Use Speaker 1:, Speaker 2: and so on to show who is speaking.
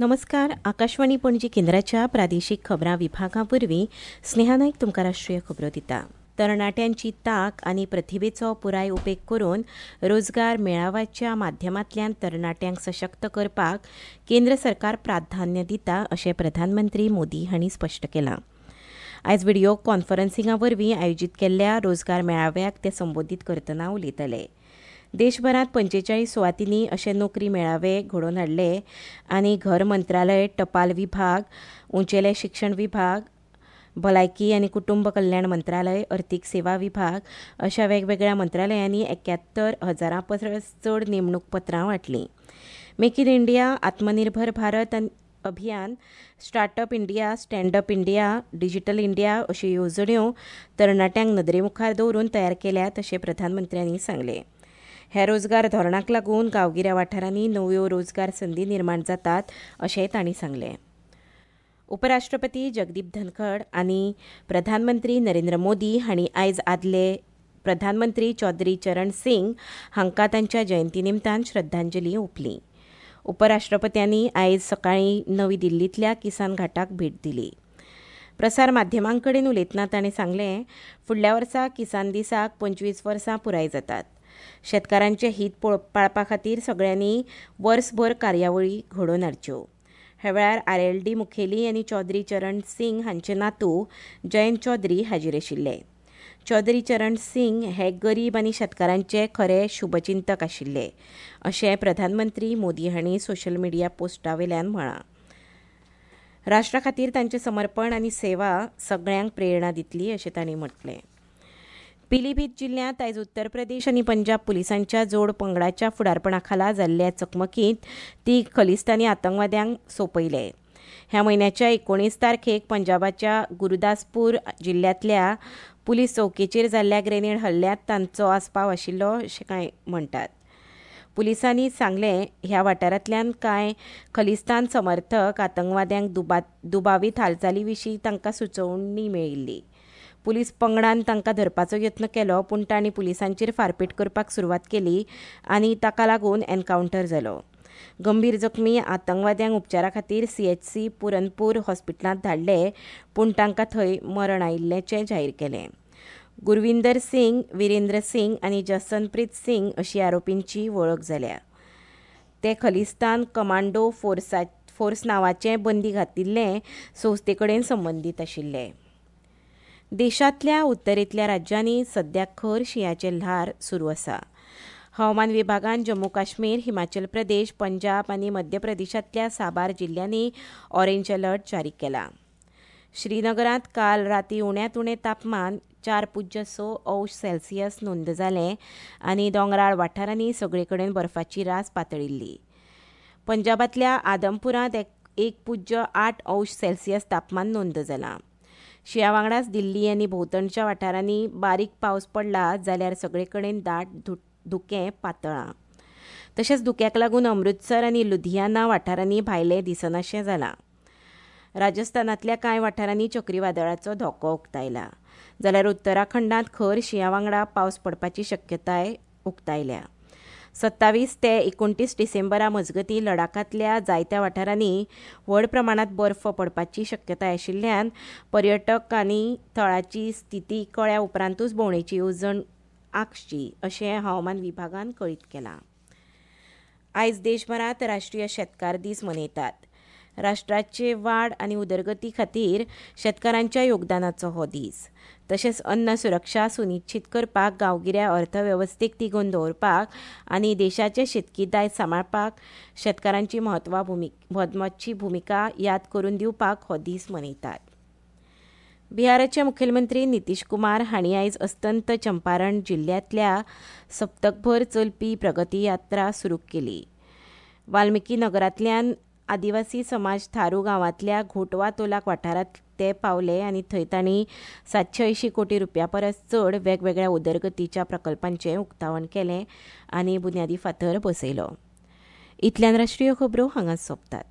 Speaker 1: नमस्कार. आकाशवाणी पणजी केंद्राच्या प्रादेशीक खबरां विभागा वरवीं स्नेहा नायक तुमकां राष्ट्रीय खबरो दिता. तरणाट्यांची तांक आनी प्रतिभेचो पुराय उपेग करून रोजगार मेळाव्याच्या माध्यमांतल्यान तरणाट्यांक सशक्त करपाक केंद्र सरकार प्राधान्य दिता अशें प्रधानमंत्री मोदी हांणी स्पश्ट केलां. आयज व्हिडियो कॉन्फरन्सिंगा वरवीं आयोजीत केल्ल्या रोजगार मेळाव्याक ते संबोधीत करतना उलयताले. देशभरांत 45 सुवातींनी अशे नोकरी मेळावे घडोवन हाडले आनी घर मंत्रालय, टपाल विभाग, उंचेले शिक्षण विभाग, भलायकी आनी कुटुंब कल्याण मंत्रालय, अर्थीक सेवा विभाग अशा वेगवेगळ्या मंत्रालयांनी 71,000 परस चड नेमणूक पत्रां वांटलीं. Make in India, Atmanirbhar Bharat Abhiyan, startup India, standup India, digital India अश्यो येवजण्यो तरणाट्यांक नदरे मुखार दवरून तयार केल्यात अशें प्रधानमंत्र्यांनी सांगलें. ह्या रोजगार धोरणाक लागून गांवगिऱ्या वाठारांनी नव्यो रोजगार संदी निर्माण जातात अशेंय तांणी सांगलें. उपराष्ट्रपती जगदीप धनखड आनी प्रधानमंत्री नरेंद्र मोदी हांणी आयज आदले प्रधानमंत्री चौधरी चरण सिंग हांकां तांच्या जयंती निमतान श्रद्धांजली ओंपली. उपराष्ट्रपत्यांनी आयज सकाळीं नवी दिल्लींतल्या किसान घाटाक भेट दिली. प्रसार माध्यमां कडेन उलयतना ताणें सांगलें, फुडल्या वर्सा किसान दिसाक 25 वर्सां पुराय जातात. शेतकारांचें हीत पाळपा खातीर सगळ्यांनी वर्सभर कार्यावळी घडोवन हाडच्यो. ह्या वेळार आरएलडी मुखेली आनी चौधरी चरण सिंग हांचे नातू जयंत चौधरी हाजीर आशिल्ले. चौधरी चरण सिंग हे गरीब आनी शेतकारांचे खरे शुभचिंतक आशिल्ले अशें प्रधानमंत्री मोदी हांणी सोशल मिडिया पोस्टा वयल्यान म्हळां. राष्ट्रा खातीर तांचें समर्पण आनी सेवा सगळ्यांक प्रेरणा दितली अशें तांणी म्हटलें. पिलीभीत जिल्ल्यांत आयज उत्तर प्रदेश आनी पंजाब पुलिसांच्या जोड पंगडाच्या फुडारपणा खाला जाल्ल्या चकमकींत 3 खलिस्तानी आतंकवाद्यांक सोंपयले. ह्या म्हयन्याच्या 19 तारखेक पंजाबाच्या गुरुदासपूर जिल्ल्यांतल्या पुलीस चौकेचेर जाल्ल्या ग्रेनेड हल्ल्यांत तांचो आस्पाव आशिल्लो अशें कांय म्हणटात. पुलिसांनी सांगलें, ह्या वाठारांतल्यान कांय खलिस्तान समर्थक आतंकवाद्यांक दुबावीत हालचाली विशीं तांकां सुचोवणी मेळिल्ली. पुलीस पंगडान तांकां धरपाचो यत्न केलो, पूण तांणी पुलिसांचेर फारपेट करपाक सुरवात केली आनी ताका लागून एन्कावंटर जालो. गंभीर जखमी आतंकवाद्यांक उपचारा खातीर सीएचसी पुरनपूर हॉस्पिटलांत धाडले, पूण तांकां थंय मरण आयिल्ल्याचें जाहीर केलें. गुरविंदर सिंग, विरेंद्र सिंग आनी जसनप्रीत सिंग अशी आरोपींची वळख जाल्या. ते खलिस्तान कमांडो फोर्स नांवाचे बंदी घातिल्ले संस्थे कडेन संबंदीत आशिल्ले. देशांतल्या उत्तरेंतल्या राज्यांनी सद्या खर शिंयाचें ल्हार सुरू आसा. हवामान विभागान जम्मू काश्मीर, हिमाचल प्रदेश, पंजाब आनी मध्य प्रदेशांतल्या साबार जिल्ल्यांनी ऑरेंज अलर्ट जारी केला. श्रीनगरांत काल राती उण्यांत उणें तापमान 4.6 अंश सेल्सियस नोंद जालें आनी दोंगराळ वाठारांनी सगळे कडेन बर्फाची रास पातळिल्ली. पंजाबांतल्या आदमपुरांत 1.8 अंश सेल्सियस तापमान नोंद जालां. शिंया वांगडाच दिल्ली आनी भोंवतणच्या वाठारांनी बारीक पावस पडला जाल्यार सगळे कडेन दाट धुकें पातळां. तशेंच धुक्याक लागून अमृतसर आनी लुधियाना वाठारांनी भायलें दिसनाशें जालां. राजस्थानांतल्या कांय वाठारांनी चक्रीवादळाचो धोको उक्तायला, जाल्यार उत्तराखंडांत खर शिंया वांगडा पावस पडपाची शक्यताय उक्तायल्या. 27 ते 29 डिसेंबरा मजगतीं लडाखांतल्या जायत्या वाठारांनी व्हड प्रमाणांत बर्फ पडपाची शक्यताय आशिल्ल्यान पर्यटकांनी थळाची स्थिती कळ्ळ्या उपरांतूच भोंवडेची येवजण आंखची अशें हवामान विभागान कळीत केलां. आयज देशभरांत राष्ट्रीय शेतकार दीस मनयतात. राष्ट्राचे वाड आनी उदरगती खातीर शेतकारांच्या योगदानाचो हो दीस. तशेंच अन्न सुरक्षा सुनिश्चीत करपाक, गांवगिऱ्या अर्थवेवस्थेक तिगोवन दवरपाक आनी देशाचें शेतकी दायज सांबाळपाक शेतकारांची म्हत्वाची भुमिका याद करून दिवपाक हो दीस मनयतात. बिहाराचे मुखेलमंत्री नितीश कुमार हांणी आयज अस्तंत चंपारण जिल्ल्यांतल्या सप्तकभर चलपी प्रगती यात्रा सुरू केली. वाल्मिकी नगरांतल्यान आदिवासी समाज थारू गांवांतल्या घोटवा तोलाक वाठारांत ते पावले आनी थंय तांणी 780 कोटी रुपया परस चड वेगवेगळ्या उदरगतीच्या प्रकल्पांचें उक्तावण केलें आनी बुन्यादी फातर बसयलो. इतल्यान राष्ट्रीय खबरो हांगाच सोंपतात.